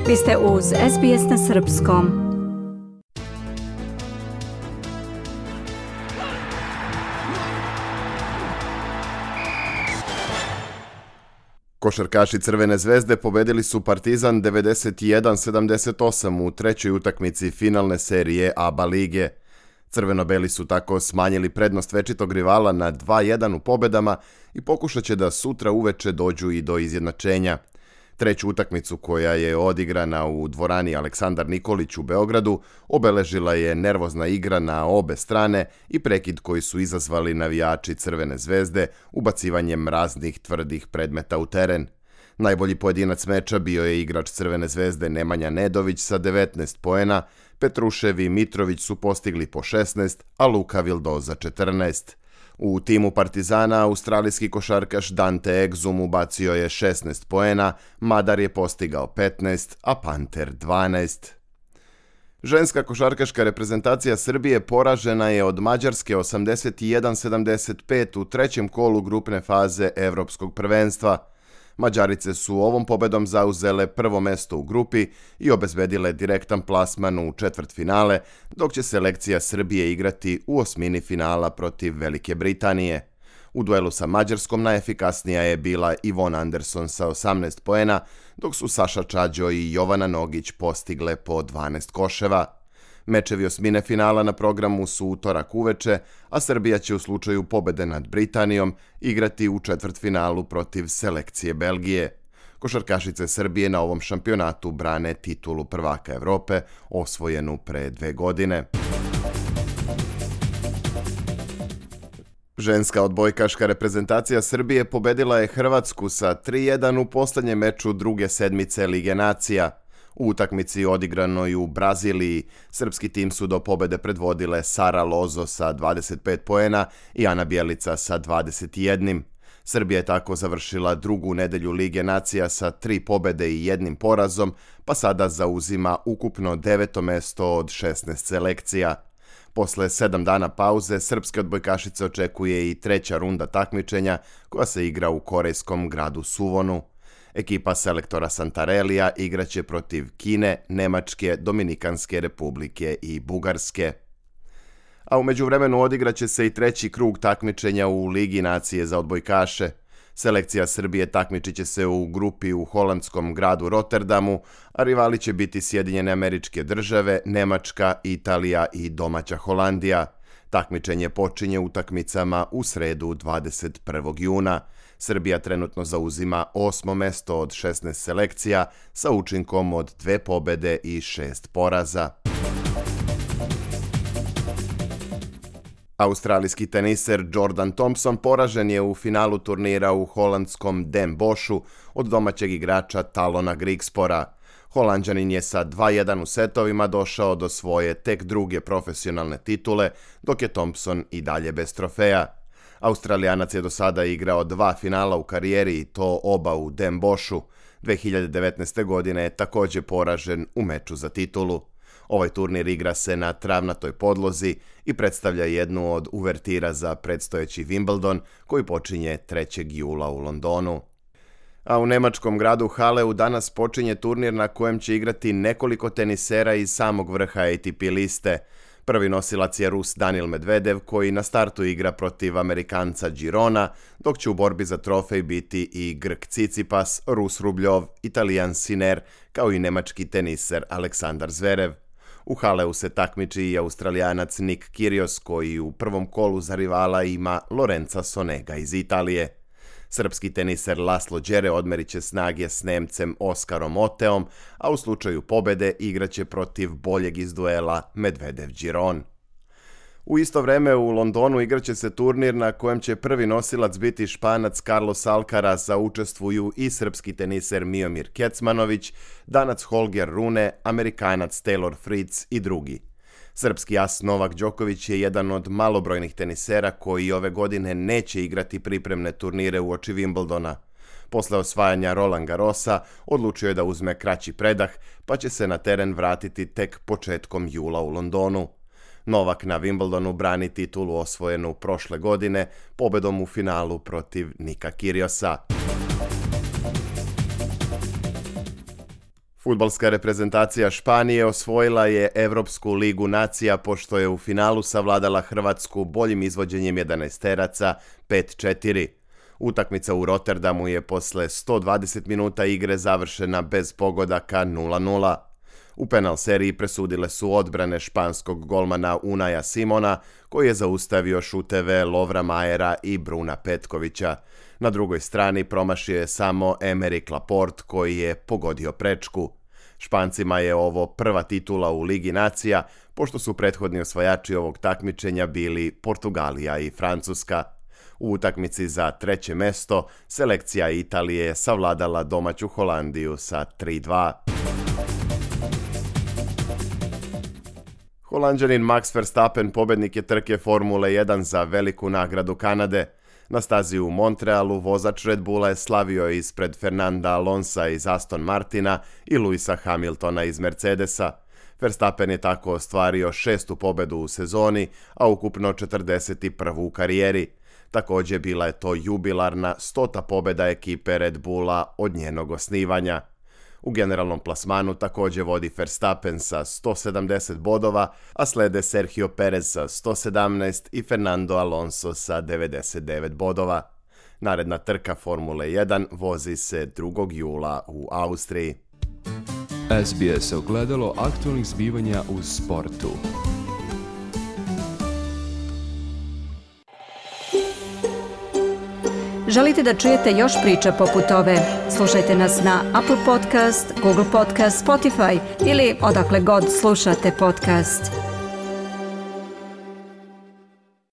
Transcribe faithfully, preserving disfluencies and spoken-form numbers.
Vi ste uz S B S na srpskom. Košarkaši Crvene zvezde pobedili su Partizan devedeset jedan sedamdeset osam u trećoj utakmici finalne serije A B A lige. Crveno-beli su tako smanjili prednost večitog rivala na dva jedan u pobedama i pokušat će da sutra uveče dođu i do izjednačenja. Treću utakmicu, koja je odigrana u dvorani Aleksandar Nikolić u Beogradu, obeležila je nervozna igra na obe strane i prekid koji su izazvali navijači Crvene zvezde ubacivanjem raznih tvrdih predmeta u teren. Najbolji pojedinac meča bio je igrač Crvene zvezde Nemanja Nedović sa devetnaest poena, Petrušev i Mitrović su postigli po šesnaest, a Luka Vildoza četrnaest. U timu Partizana australijski košarkaš Dante Exum ubacio je šesnaest poena, Madar je postigao petnaest, a Panter dvanaest. Ženska košarkaška reprezentacija Srbije poražena je od Mađarske osamdeset jedan sedamdeset pet u trećem kolu grupne faze Evropskog prvenstva. Mađarice su ovom pobedom zauzele prvo mesto u grupi i obezbedile direktan plasman u četvrtfinale, dok će selekcija Srbije igrati u osmini finala protiv Velike Britanije. U duelu sa Mađarskom najefikasnija je bila Ivona Anderson sa osamnaest poena, dok su Saša Čađo i Jovana Nogić postigle po dvanaest koševa. Mečevi osmine finala na programu su utorak uveče, a Srbija će u slučaju pobede nad Britanijom igrati u četvrtfinalu protiv selekcije Belgije. Košarkašice Srbije na ovom šampionatu brane titulu prvaka Evrope, osvojenu pre dve godine. Ženska odbojkaška reprezentacija Srbije pobedila je Hrvatsku sa tri jedan u poslednjem meču druge sedmice Lige nacija. U utakmici odigranoj u Braziliji, srpski tim su do pobede predvodile Sara Lozo sa dvadeset pet poena i Ana Bjelica sa dvadeset jedan. Srbija je tako završila drugu nedelju Lige nacija sa tri pobede i jednim porazom, pa sada zauzima ukupno deveto mesto od šesnaest selekcija. Posle sedam dana pauze, srpske odbojkašice očekuje i treća runda takmičenja koja se igra u korejskom gradu Suvonu. Ekipa selektora Santarelija igraće protiv Kine, Nemačke, Dominikanske republike i Bugarske. A u međuvremenu odigraće se i treći krug takmičenja u Ligi nacije za odbojkaše. Selekcija Srbije takmičit će se u grupi u holandskom gradu Rotterdamu, a rivali će biti Sjedinjene Američke Države, Nemačka, Italija i domaća Holandija. Takmičenje počinje utakmicama u sredu dvadeset prvog juna. Srbija trenutno zauzima osmo mesto od šesnaest selekcija sa učinkom od dve pobede i šest poraza. Australijski teniser Jordan Thompson poražen je u finalu turnira u holandskom Den Boschu od domaćeg igrača Talona Grigspora. Holanđanin je sa dva jedan u setovima došao do svoje tek druge profesionalne titule, dok je Thompson i dalje bez trofeja. Australijanac je do sada igrao dva finala u karijeri i to oba u Den Boschu. dve hiljade devetnaeste. godine je također poražen u meču za titulu. Ovaj turnir igra se na travnatoj podlozi i predstavlja jednu od uvertira za predstojeći Wimbledon koji počinje trećeg jula u Londonu. A u nemačkom gradu Haleu danas počinje turnir na kojem će igrati nekoliko tenisera iz samog vrha A T P liste. Prvi nosilac je Rus Daniil Medvedev koji na startu igra protiv Amerikanca Girona, dok će u borbi za trofej biti i Grk Cicipas, Rus Rubljov, Italijan Sinner kao i nemački teniser Aleksandar Zverev. U Haleu se takmiči i Australijanac Nick Kyrgios koji u prvom kolu za rivala ima Lorenza Sonega iz Italije. Srpski teniser Laslo Đere odmerit će snage s Nemcem Oskarom Oteom, a u slučaju pobede igraće protiv boljeg iz duela Medvedev-Giron. U isto vreme u Londonu igraće se turnir na kojem će prvi nosilac biti Španac Carlos Alcaraz, a učestvuju i srpski teniser Miomir Kecmanović, Danac Holger Rune, Amerikanac Taylor Fritz i drugi. Srpski as Novak Đoković je jedan od malobrojnih tenisera koji ove godine neće igrati pripremne turnire uoči Wimbledona. Posle osvajanja Roland Garrosa odlučio je da uzme kraći predah, pa će se na teren vratiti tek početkom jula u Londonu. Novak na Wimbledonu brani titulu osvojenu prošle godine pobedom u finalu protiv Nika Kyrgiosa. Fudbalska reprezentacija Španije osvojila je Evropsku ligu nacija pošto je u finalu savladala Hrvatsku boljim izvođenjem jedanaesteraca pet četiri. Utakmica u Rotterdamu je posle sto dvadeset minuta igre završena bez pogodaka nula nula. U penal seriji presudile su odbrane španskog golmana Unaja Simona, koji je zaustavio šuteve Lovra Majera i Bruna Petkovića. Na drugoj strani promašio je samo Emerick Laporte, koji je pogodio prečku. Špancima je ovo prva titula u Ligi nacija, pošto su prethodni osvajači ovog takmičenja bili Portugalija i Francuska. U utakmici za treće mesto selekcija Italije je savladala domaću Holandiju sa tri dva. Holanđanin Max Verstappen pobednik je trke Formule jedan za veliku nagradu Kanade. Na stazi u Montrealu vozač Red Bulla je slavio ispred Fernanda Alonsa iz Aston Martina i Lewisa Hamiltona iz Mercedesa. Verstappen je tako ostvario šestu pobedu u sezoni, a ukupno četrdeset prvu u karijeri. Također bila je to jubilarna stota pobeda ekipe Red Bulla od njenog osnivanja. U generalnom plasmanu također vodi Verstappen sa sto sedamdeset bodova, a slede Sergio Perez sa sto sedamnaest i Fernando Alonso sa devedeset devet bodova. Naredna trka Formule jedan vozi se drugog jula u Austriji. S B S ogledalo aktualnih zbivanja u sportu. Želite da čujete još priča poput ove? Slušajte nas na Apple Podcast, Google Podcast, Spotify ili odakle god slušate podcast.